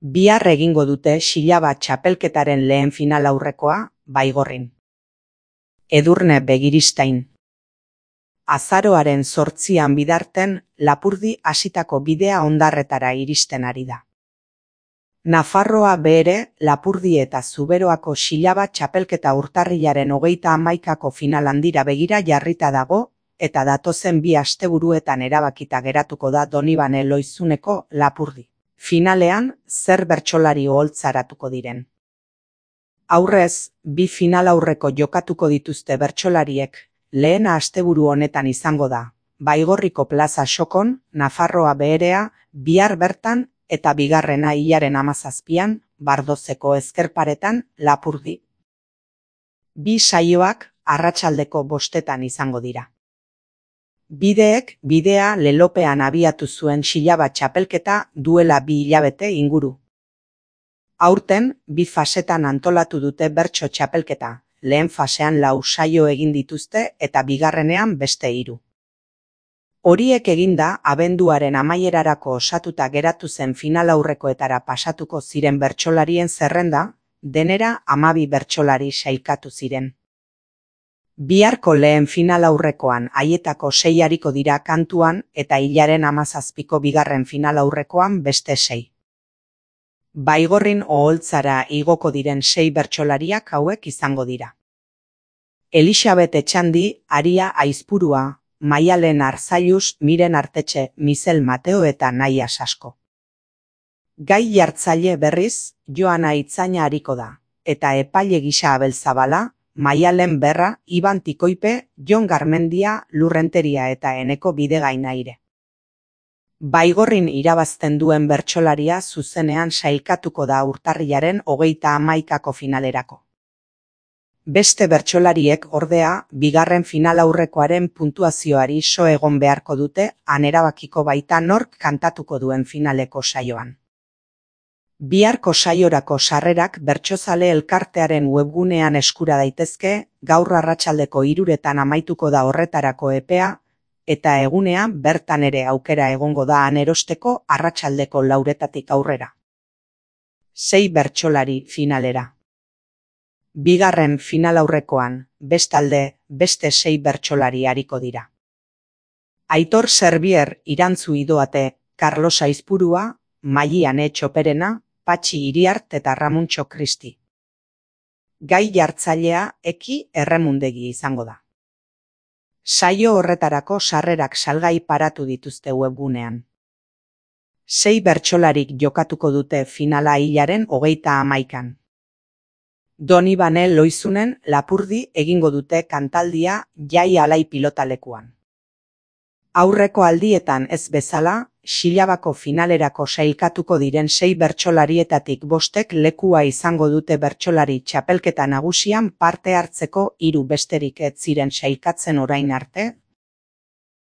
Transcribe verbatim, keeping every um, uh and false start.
Bihar egingo dute Xilaba txapelketaren lehen final aurrekoa, Baigorrin. Edurne Begiristain. Azaroaren zortzian bidarten Lapurdi hasitako bidea hondarretara iristen ari da. Nafarroa bere Lapurdi eta Zuberoako Xilaba txapelketa urtarrilaren hogeita hamaikako final handira begira jarrita dago, eta datozen bi asteburuetan erabakita geratuko da Donibane Loizuneko Lapurdi. Finalean, zer bertsolari oholtzaratuko diren. Aurrez, bi final aurreko jokatuko dituzte bertsolariek, lehena asteburu honetan izango da, Baigorriko plaza xokon, Nafarroa beherea, bihar bertan eta bigarrena hilaren hamazazpian, Bardozeko ezkerparetan, Lapurdi. Bi saioak arratsaldeko bostetan izango dira. Bideek bidea lelopean abiatu zuen Xilaba txapelketa duela bi hilabete inguru. Aurten, bi fasetan antolatu dute bertso txapelketa, lehen fasean lau saio egin dituzte eta bigarrenean beste hiru. Horiek eginda, abenduaren amaierarako osatuta geratu zen final aurrekoetara pasatuko ziren bertsolarien zerrenda, denera hamabi bertsolari sailkatu ziren. Biharko lehen final aurrekoan haietako sei ariko dira kantuan eta hilaren hamazazpiko bigarren final aurrekoan beste sei. Baigorrin oholtzara igoko diren sei bertsolariak hauek izango dira. Elixabet Etxandi, Aria Aizpurua, Maialen Arzailuz, Miren Artetxe, Mizel Mateo eta Naia Sasko. Gai jartzaile berriz, Joana Itzaina ariko da, eta epaile gisa Abel Zabala, Maialen Berra, Iban Tikoipe, Jon Garmendia, Lurrenteria eta Eneko Bidegainaire. Baigorrin irabazten duen bertsolaria zuzenean sailkatuko da urtarrilaren hogeita hamaikako finalerako. Beste bertsolariek ordea, bigarren final aurrekoaren puntuazioari so egon beharko dute, han erabakiko baita nork kantatuko duen finaleko saioan. Biharko saiorako sarrerak Bertsozale elkartearen webgunean eskura daitezke, gaur arratsaldeko hiruretan amaituko da horretarako epea, eta egunean bertan ere aukera egongo da han erosteko arratsaldeko lauretatik aurrera. Sei bertsolari finalera. Bigarren final aurrekoan, bestalde, beste sei bertsolari ariko dira. Aitor Serbier Irantzu Idoate, Carlos Aizpurua, Maiane Txoperena, Patxi Iriart eta Ramuntxo Kristi. Gai jartzailea Eki Erremundegi izango da. Saio horretarako sarrerak salgai paratu dituzte webgunean. Sei bertsolarik jokatuko dute finala hilaren hogeita hamaikan. Donibane Loizunen Lapurdi egingo dute kantaldia Jai Alai pilotalekuan. Aurreko aldietan ez bezala, Xilabako finalerako sailkatuko diren sei bertsolarietatik bostek lekua izango dute bertsolari txapelketa nagusian parte hartzeko hiru besterik ez ziren sailkatzen orain arte,